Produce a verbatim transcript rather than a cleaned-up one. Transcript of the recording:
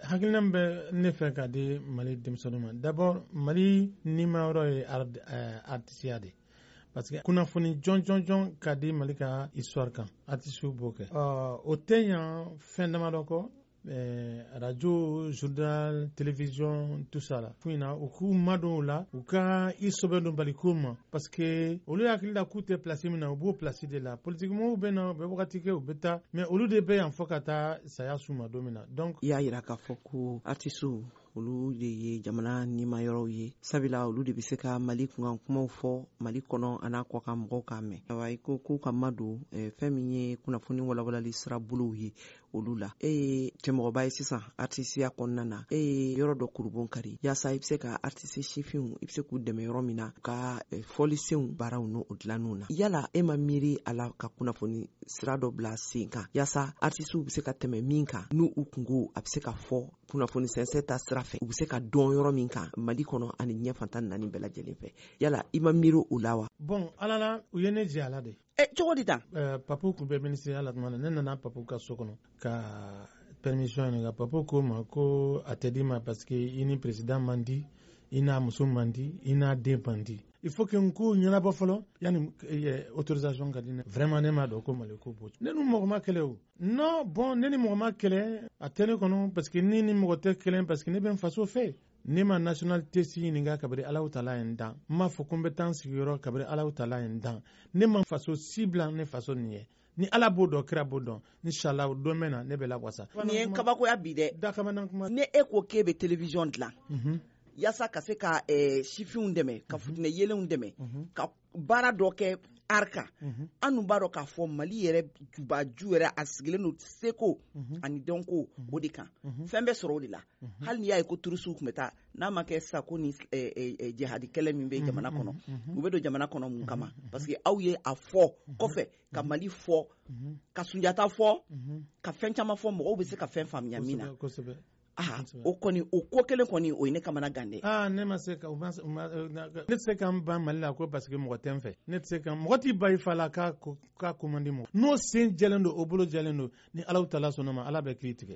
Hakilina min bɛ ne fɛ ka di Mali denmisɛnninw ma, d'abord, Mali nimayɔrɔ ye artisiya de, parce que kunnafoni jɔn jɔn jɔn ka di Mali ka histoire kan, artisiw b'o kɛ. O tɛ ɲan fɛn damadɔ kɔ: radio, journal, télévision, tout ça la. Fo ɲina u k'u madon o la, u ka i sɛbɛn don baliko ma, parce que olu hakili la k'u tɛ place min na, u b'o place de la. Politique mɔgɔw bɛ na, u bɛ wagati kɛ, u bɛ taa, mais olu de bɛ yan fɔ ka taa saya s'u ma don min na. Donc i y'a yira k'a fɔ ko artisiw, olu de ye jamana nimayɔrɔw ye, sabula olu de bɛ se ka Mali kunkan kumaw fɔ Mali kɔnɔ a n'a kɔkan, mɔgɔw k'a mɛn. Ayiwa, i ko k'u ka madon fɛn min ye kunnafoni walawalali sira bolow ye olu la. E ye cɛmɔgɔba ye sisan artisiya kɔnɔna na, e ye yɔrɔ dɔ kurubon kari yaasa i bɛ se ka artiste sifinw, i bɛ se k'u dɛmɛ yɔrɔ min na ka fɔlisenw baaraw n'o dilanniw na. Yala e ma miiri a la ka kunnafoni sira dɔ bila sen kan yaasa artisiw bɛ se ka tɛmɛ min kan, n'u u kungo a bɛ se ka fɔ kunnafoni sɛnsɛn ta sira fɛ, u bɛ se ka dɔn yɔrɔ min kan Mali kɔnɔ ani ɲɛ fantan naani bɛɛ lajɛlen fɛ? Yala i ma miiri o la wa? Bon, Ala la, u ye ne jɛ a la de. Ɛ, cogo di tan? Papu tun bɛ ministériya la tuma na, ne nana Papu ka so kɔnɔ ka permission ɲininka. Papu ko ma ko a tɛ di ma, parce que i ni président man di, i n'a muso man di, i n'a den man di. Il faut que n k'o ɲɛnabɔ fɔlɔ yanni autorisation ka di ne. Vraiment, ne m'a dɔn ko Mali ko b'o. Ne ni mɔgɔ ma kɛlɛ o. Non, bon, ne ni mɔgɔ ma kɛlɛ, a tɛ ne kɔnɔ, parce que ni ni mɔgɔ tɛ kɛlɛ, parce que ne bɛ n faso fɛ. Ne ma nationalité si ɲininka kabiri Alahu Taala ye n dan. N m'a fɔ ko n bɛ taa n sigiyɔrɔ kabiri Alahu Taala ye n dan. Ne ma faso si bila ne faso nin ye. Ni Ala b'o dɔn, kira b'o dɔn, inshallah, don bɛ na ne bɛ lawasa. Nin ye kabakoya bi dɛ. Dakabana kuma. Ne e ko k'e bɛ télévision dilan yaasa ka se ka sifinw dɛmɛ, ka futinɛ yelenw dɛmɛ, ka baara dɔ kɛ art kan, an dun b'a dɔn k'a fɔ Mali yɛrɛ jubaju yɛrɛ, a sigilen don seko ani dɔnko o de kan. Fɛn bɛ sɔrɔ o de la. Hali n'i y'a ye ko turusiw tun bɛ taa, n'a ma kɛ sisan ko ni jihadi kɛlɛ min bɛ jamana kɔnɔ, u bɛ don jamana kɔnɔ mun kama? Parce que aw ye a fɔ kɔfɛ ka Mali fɔ, ka Sunjata fɔ, ka fɛn caman fɔ, mɔgɔw bɛ se ka fɛn faamuya min na. Kosɛbɛ. Ah, o kɔni, o ko kelen kɔni, o ye ne kamana gan dɛ. Ah, ne ma se ka ne tɛ se ka n ban Mali la ko parce que mɔgɔ tɛ n fɛ. Ne tɛ se ka mɔgɔ t'i ba i fa la k'a k'a ko man di mɔgɔ. N'o sen jɛlen don, o bolo jɛlen don, ni Alahu Taala sɔnna ma, Ala bɛ kiiri tigɛ.